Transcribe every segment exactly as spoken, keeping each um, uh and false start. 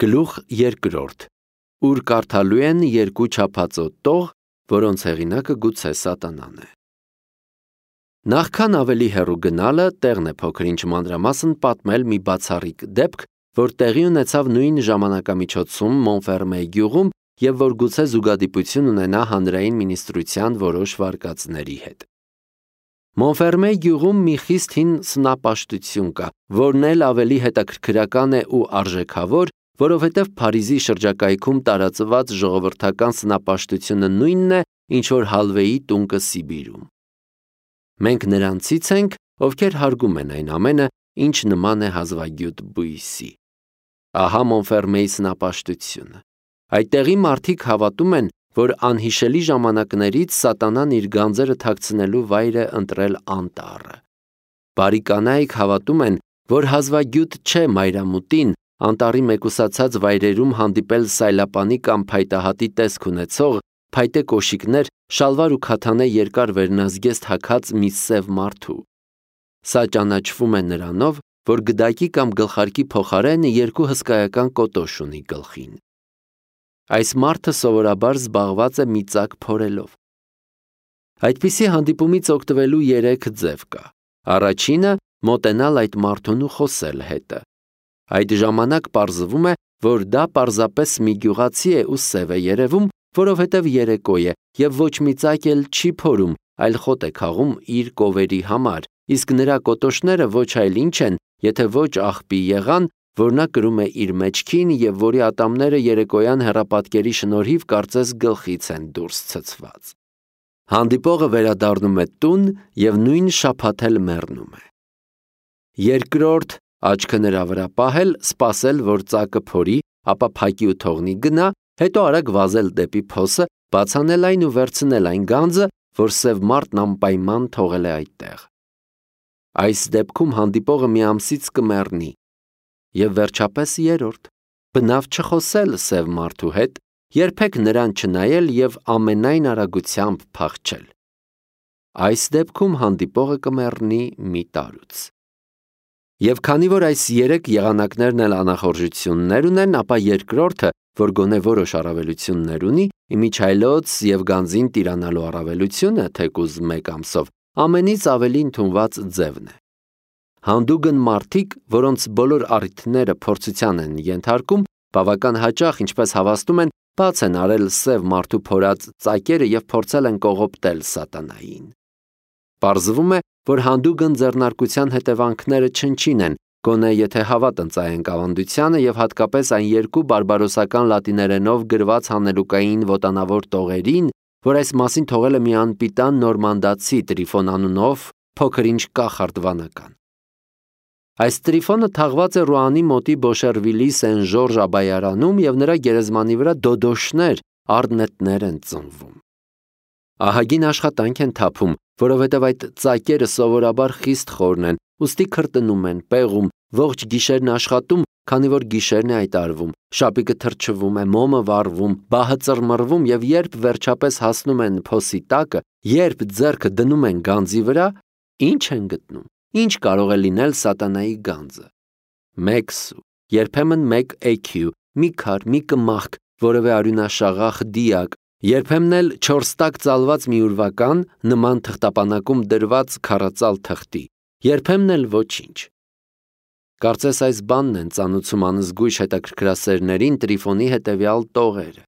Գլուխ երկրորդ, ուր կարդալու են երկու չափածո տող, որոնց հեղինակը գուցե Սատանան է։ Նախքան ավելի հեռու գնալը տեղն է փոքր-ինչ մանրամասն պատմել մի բացառիկ դեպք, որ տեղի ունեցավ նույն ժամանակամիջոցում Մոնֆերմեի գյուղում և որ գուցե զուգադիպություն ունենա հանրային մինիստրության որոշ վարկածների հետ։ Մոնֆերմեի գյուղում մի խիստ հին սնապաշտություն կա, որն էլ ավելի հետաքրքրական է ու արժեքավոր, որովհետև Փարիզի շրջակայքում տարածված ժողովրդական սնապաշտությունը նույնն է, ինչ որ Հալվեի տունկը Սիբիրում։ Մենք նրանցից ենք, ովքեր հարգում են այն ամենը, ինչ նման է հազվագյուտ բույսի։ Ահա Մոնֆերմեի սնապաշտությունը։ Այդտեղի մարդիկ հավատում են, որ անհիշելի ժամանակներից Սատանան իր գանձերը թաքցնելու վայր է ընտրել անտառը։ Բարի կանայք հավատում են, որ հազվագյուտ չէ մայրամուտին անտառի մեկուսացած վայրերում հանդիպել սայլապանի կամ փայտահատի տեսք ունեցող, փայտե կոշիկներ, շալվար ու քաթանե երկար վերնազգեստ հագած մի սև մարդու։ Սա ճանաչվում է նրանով, որ գդակի կամ գլխարկի փոխարեն երկու հսկայական կոտոշ ունի գլխին։ Այս մարդը սովորաբար զբաղված է մի ծակ փորելով։ Այդպիսի հանդիպումից օգտվելու երեք ձև կա։ Առաջինը՝ մոտենալ այդ մարդուն ու խոսել հետը։ Այդ ժամանակ պարզվում է, որ դա պարզապես մի գյուղացի է ու սև է երևում, որովհետև երեկո է և ոչ մի ծակ էլ չի փորում, այլ խոտ է քաղում իր կովերի համար, իսկ նրա կոտոշները ոչ այլ ինչ են, եթե ոչ աղբի եղան, որ նա կրում է իր մեջքին և որի ատամները երեկոյան հեռապատկերի շնորհիվ կարծես գլխից են դուրս ցցված։ Հանդիպողը վերադառնում է տուն և նույն շաբաթ էլ մեռնում է։ Երկրորդ՝ աչքը նրա վրա պահել, սպասել, որ ծակը փորի, ապա փակի ու թողնի գնա, հետո արագ վազել դեպի փոսը, բացանել այն ու վերցնել այն գանձը, որ սև մարդն անպայման թողել է այդտեղ։ Այս դեպքում հանդիպողը մի ամսից կմեռնի։ Եվ վերջապես երրորդ՝ բնավ չխոսել սև մարդու հետ, երբեք նրան չնայել և ամենայն արագությամբ փախչել։ Այս դեպքում հանդիպողը կմեռնի մի տարուց։ Եվ քանի որ այս երեք եղանակներն էլ անախորժություններ ունեն, ապա երկրորդը, որ գոնե որոշ առավելություններ ունի, իմիջիայլոց և գանձին տիրանալու առավելությունը, թեկուզ մեկ ամսով, ամենից ավելի ընդունված ձևն է։ Հանդուգն մարդիկ, որոնց բոլոր առիթները փորձության են ենթարկում, բավական հաճախ, ինչպես հավաստում են, բաց են արել սև մարդու փորած ծակերը և փորձել են կողոպտել Սատանային։ Պարզվում է, որ հանդուգն ձեռնարկության հետևանքները չնչին են, գոնե եթե հավատ ընծայենք ավանդությանը և հատկապես այն երկու բարբարոսական լատիներենով գրված հանելուկային ոտանավոր տողերին, որ այս մասին թողել է մի անպիտան նորմանդացի Տրիֆոն անունով փոքր-ինչ կախարդ վանական։ Այս Տրիֆոնը թաղված է Ռուանի մոտի Բոշերվիլի Սեն Ժորժ Աբայարանում և նրա գերեզմանի վրա դոդոշներ, առնետներ են ծնվում։ Ահագին աշխատանք են թափում, որովհետև այդ ծակերը սովորաբար խիստ խորն են, ուստի քրտնում են, պեղում, ողջ գիշերն աշխատում, քանի որ գիշերն է այդ արվում, շապիկը թրջվում է, մոմը վառվում, բահը ծռմռվում և երբ վերջապես հասնում են փոսի տակը, երբ ձեռքը դնում են գանձի վրա, ի՞նչ են գտնում։ Ինչ կարող է լինել Սատանայի գանձը։ Մեկ սու, երբեմն մեկ էքյու, մի քար, մի կմախք, որևէ արյունաշաղախ դիակ, երբեմն էլ չորս տակ ծալված մի ուրվական, նման թղթապանակում դրված քառածալ թղթի, երբեմն էլ ոչինչ։ Կարծես այս բանն են ծանուցում անզգույշ հետաքրքրասերներին Տրիֆոնի հետևյալ տողերը։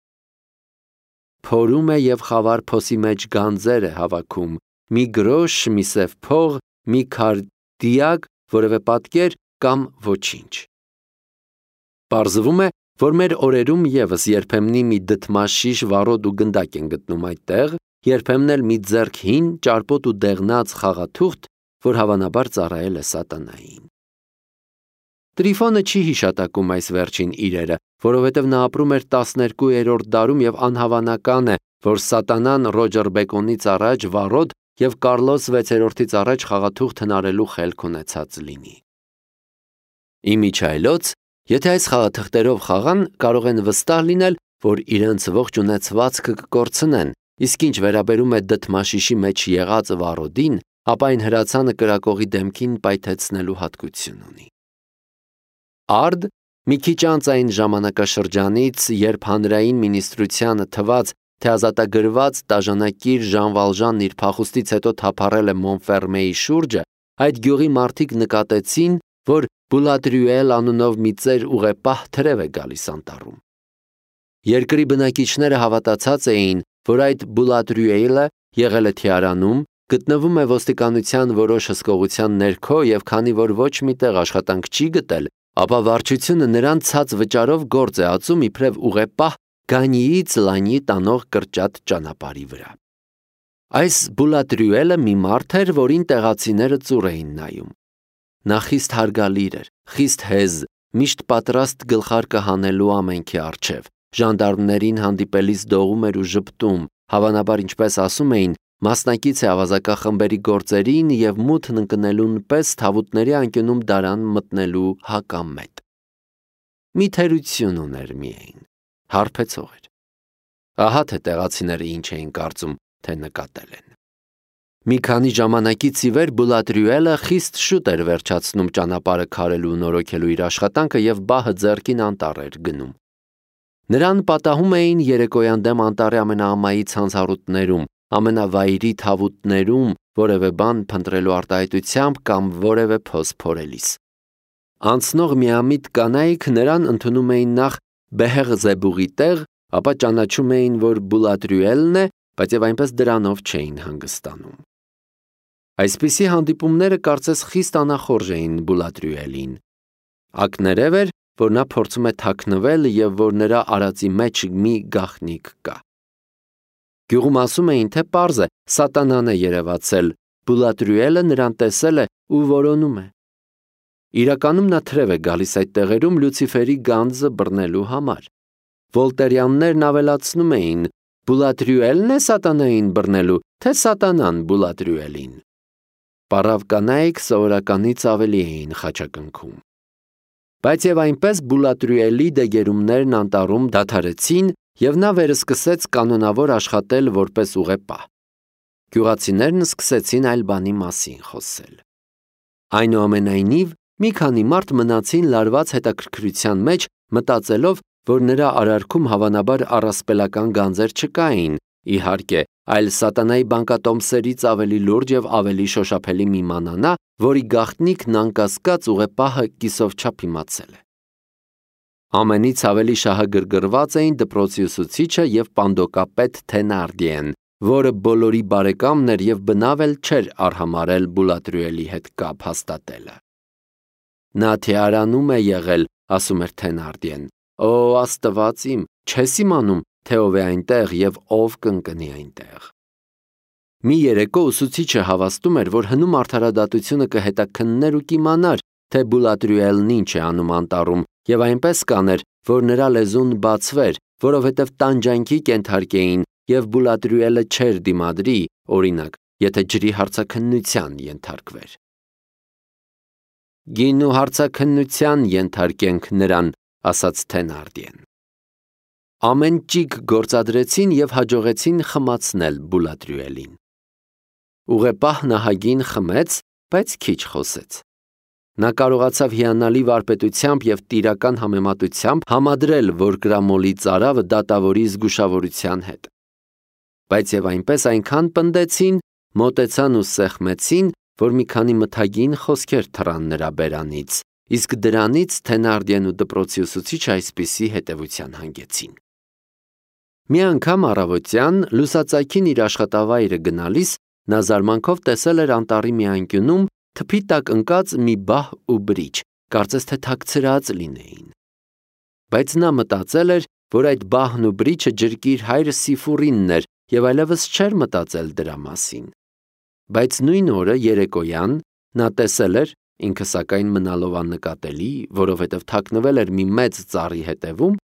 Փորում է և խավար փոսի մեջ գանձեր է հավաքում, մի գրոշ, մի սև փող, մի քար դիակ, որևէ պատկեր կամ ոչինչ։ Պարզվում է, որ մեր օրերում ևս երբեմնի մի դդմաշիշ վառոդ ու գնդակ են գտնում այդտեղ, երբեմն էլ մի ձեռք հին, ճարպոտ ու դեղնած խաղաթուղթ, որ հավանաբար ծառայել է Սատանային։ Տրիֆոնը չի հիշատակում այս վերջին իրերը, որովհետև նա ապրում էր տասներկուերորդ դարում և անհավանական է, որ Սատանան Ռոջեր Բեկոնից առաջ վառոդ և Կարլոս վեցերորդից առաջ խաղաթուղթ հնարելու խելք ունեցած լինի։ Իմիջիայլոց, եթե այս խաղաթղթերով խաղան, կարող են վստահ լինել, որ իրենց ողջ ունեցվածքը կկորցնեն, իսկ ինչ վերաբերում է դդմաշիշի մեջ եղած վառոդին, ապա այն հրացանը կրակողի դեմքին պայթեցնելու հատկություն ունի։ Արդ Մի քիչ անց այն ժամանակաշրջանից, երբ հանրային մինիստրությանը թված, թե ազատագրված տաժանակիր Ժան Վալժանն իր փախուստից հետո թափառել է Մոնֆերմեի շուրջը, այդ գյուղի մարդիկ նկատեցին, որ Բուլատրյուել անունով մի ծեր ուղեպահ թրև է գալիս անտառում։ Երկրի բնակիչները հավատացած էին, որ այդ Բուլատրյուելը եղել է Թիարանում, գտնվում է ոստիկանության որոշ հսկողության ներքո և քանի որ ոչ մի տեղ աշխատանք չի գտել, ապա վարչությունը նրան ցած վճարով գործ է ածում իբրև ուղեպահ Գանիից Լանյի տանող կրճատ ճանապարհի վրա։ Այս Բուլատրյուելը մի մարդ էր, որին տեղացիները ծուռ էին նայում։ Նա խիստ հարգալիր էր, խիստ հեզ, միշտ պատրաստ գլխարկը հանելու ամենքի առջև, ժանդարմներին հանդիպելիս դողում էր ու ժպտում, հավանաբար ինչպես ասում էին, մասնակից է ավազակախմբերի գործերին և մութն ընկնելուն պես թավուտների անկյունում դարան մտնելու հակամետ։ Մի թերություն ուներ միայն, հարբեցող էր։ Ահա թե տեղացիները ինչ էին կարծում, թե նկատել են։ Մի քանի ժամանակից ի վեր Բուլատրյուելը խիստ շուտ էր վերջացնում ճանապարհը քարելու ու նորոգելու իր աշխատանքը և բահը ձեռքին անտառ էր գնում։ Նրան պատահում էին երեկոյան դեմ անտառի ամենաամայի ցանցառուտներում, ամենավայրի թավուտներում որևէ բան փնտրելու արտահայտությամբ կամ որևէ փոս փորելիս։ Անցնող միամիտ կանայք նրան ընդունում էին նախ Բեհեղզեբուղի տեղ, ապա ճանաչում էին, որ Բուլատրյուելն է, բայց և այնպես դրանով չէին հանգստանում։ Այսպիսի հանդիպումները կարծես խիստ անախորժ էին Բուլատրյուելին։ Ակներև էր, որ նա փորձում է թաքնվել և որ նրա արածի մեջ մի գաղտնիք կա։ Գյուղում ասում էին, թե պարզ է, սատանան է երևացել, Բուլատրյուելը նրան տեսել է ու որոնում է։ Իրականում նա թրև է գալիս այդ տեղերում Լյուցիֆերի գանձը բռնելու համար։ Վոլտերյաններն ավելացնում էին. Բուլատրյուելն է սատանային բռնելու, թե սատանան Բուլատրյուելին։ Պառավ կանայք սովորականից ավելի էին խաչակնքում։ Բայց և այնպես Բուլատրյուելի դեգերումներն անտառում դադարեցին և նա վերսկսեց կանոնավոր աշխատել որպես ուղեպահ։ Գյուղացիներն սկսեցին այլ բանի մասին խոսել։ Այնուամենայնիվ, մի քանի մարդ մնացին լարված հետաքրքրության մեջ, մտածելով, որ նրա արարքում հավանաբար առասպելական գանձեր չկային, իհարկե, այլ սատանայի բանկատոմսերից ավելի լուրջ և ավելի շոշափելի մի մանանա, որի գաղտնիքն անկասկած ուղեպահը կիսով չափ իմացել է։ Ամենից ավելի շահագրգռված էին դպրոցի ուսուցիչը և պանդոկապետ Թենարդիեն, որը բոլորի բարեկամն էր և բնավ էլ չէր արհամարհել Բուլատրյուելի հետ կապ հաստատելը։ Նա Թիարանում է եղել, ասում էր Թենարդիեն։ Օ, Աստված իմ, չես իմանում, թե ով է այնտեղ և ով կընկնի այնտեղ։ Մի երեկո ուսուցիչը հավաստում էր, որ հնում արդարադատությունը կհետաքններ ու կիմանար, թե Բուլատրյուելն ինչ է անում անտառում, և այնպես կաներ, որ նրա լեզուն բացվեր, որովհետև տանջանքի կենթարկեին և Բուլատրյուելը չէր դիմադրի, օրինակ, եթե ջրի հարցաքննության ենթարկվեր։ Գինու հարցաքննության ենթարկենք նրան, ասաց Թենարդիեն։ Ամեն ճիգ գործադրեցին և հաջողեցին խմացնել Բուլատրյուելին։ Ուղեպահն ահագին խմեց, բայց քիչ խոսեց։ Նա կարողացավ հիանալի վարպետությամբ և տիրական համեմատությամբ համադրել, որ կրամոլի ծարավը դատավորի զգուշավորության հետ։ Բայց և այնպես այնքան պնդեցին, մոտեցան ու սեղմեցին, որ մի քանի մթագին խոսքեր թռան նրա բերանից, իսկ դրանից Թենարդիեն ու դպրոցի ուսուցիչը այսպիսի հետևության հանգեցին։ Մի անգամ առավոտյան լուսածայքին իր աշխատավայրը գնալիս նա զարմանքով տեսել էր անտառի մի անկյունում թփի տակ ընկած մի բահ ու բրիչ, կարծես թե թաքցրած լինեին։ Բայց նա մտածել էր, որ այդ բահն ու բրիչը ջրկիր հայր Սիֆուրինն էր և այլևս չէր մտածել դրա մասին։ Բայց նույն օրը երեկոյան նա տեսել էր, ինքը սակայն մնալով աննկատելի, որովհետև թաքնվել էր մի մեծ ծառի հետևում,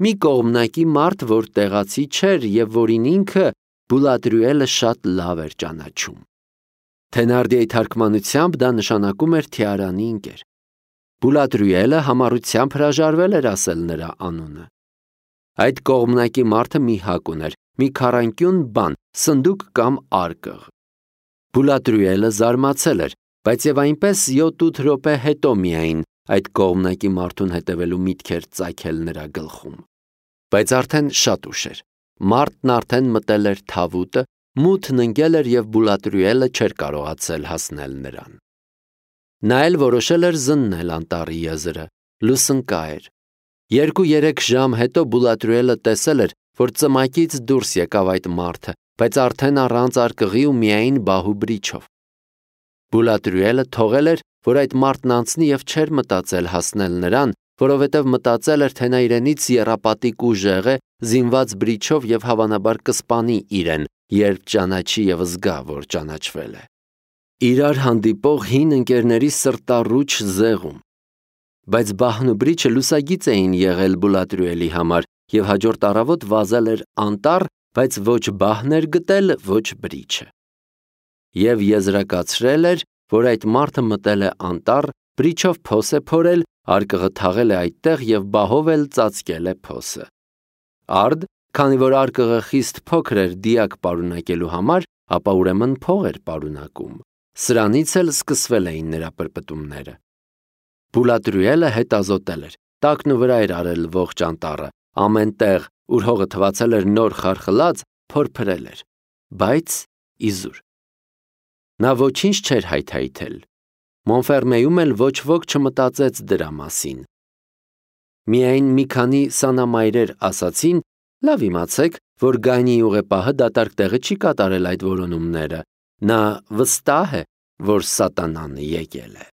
մի կողմնակի մարդ, որ տեղացի չէր և որին ինքը Բուլատրյուելը շատ լավ էր ճանաչում։ Թենարդիեի թարգմանությամբ դա նշանակում էր Թիարանի ընկեր։ Բուլատրյուելը համառությամբ հրաժարվել էր ասել նրա անունը։ Այդ կողմնակի մարդը մի հակ ուներ, մի քառանկյուն բան, սնդուկ կամ արկղ։ Բուլատրյուելը զարմացել էր, բայց և այնպես յոթ-ութ րոպե հետո միայն այդ կողմնակի մարդուն հետևելու միտքեր ծագել նրա գլխում։ Բայց արդեն շատ ուշ էր։ Մարդն արդեն մտել էր թավուտը, մութն ընկել էր և Բուլատրյուելը չէր կարողացել հասնել նրան։ Նա էլ որոշել էր զննել անտառի եզրը, լուսնկա էր։ Երկու-երեք ժամ հետո Բուլատրյուելը տեսել էր, որ ծմակից դուրս եկավ այդ մարդը, բայց արդեն առանց արկղի ու միայն բահու բրիչով։ Բուլատրյուելը թողել էր, որ այդ մարդն անցնի և չէր մտածել հասնել նրան, որովհետև մտածել էր, թե նա իրենից եռապատիկ ուժեղ է, զինված բրիչով և հավանաբար կսպանի իրեն, երբ ճանաչի և զգա, որ ճանաչվել է։ Իրար հանդիպող հին ընկերների սրտառուչ զեղում։ Բայց բահն ու բրիչը լուսագիծ էին եղել Բուլատրյուելի համար, և հաջորդ առավոտ վազել էր անտառ, բայց ոչ բահն էր գտել, ոչ բրիչը։ Եվ եզրակացրել էր, որ այդ մարդը մտել է անտառ, բրիչով փոս է փորել, արկղը թաղել է այդտեղ և բահով էլ ծածկել է փոսը։ Արդ, քանի որ արկղը խիստ փոքր էր դիակ պարունակելու համար, ապա ուրեմն փող էր պարունակում։ Սրանից էլ սկսվել էին նրա պրպտումները։ Բուլատրյուելը հետազոտել էր, տակն ու վրա էր արել ողջ անտառը, ամեն տեղ, ուր հողը թվացել էր նոր խարխլած, փորփրել էր, բայց իզուր։ Նա ոչինչ չէր հայթայթել։ Մոնֆերմեյում էլ ոչ ոք չմտածեց դրա մասին։ Միայն մի քանի սանամայրեր ասացին. «Լավ իմացեք, որ Գանիի ուղեպահը դատարկ տեղը չի կատարել այդ որոնումները, նա վստահ է, որ Սատանան եկել է»։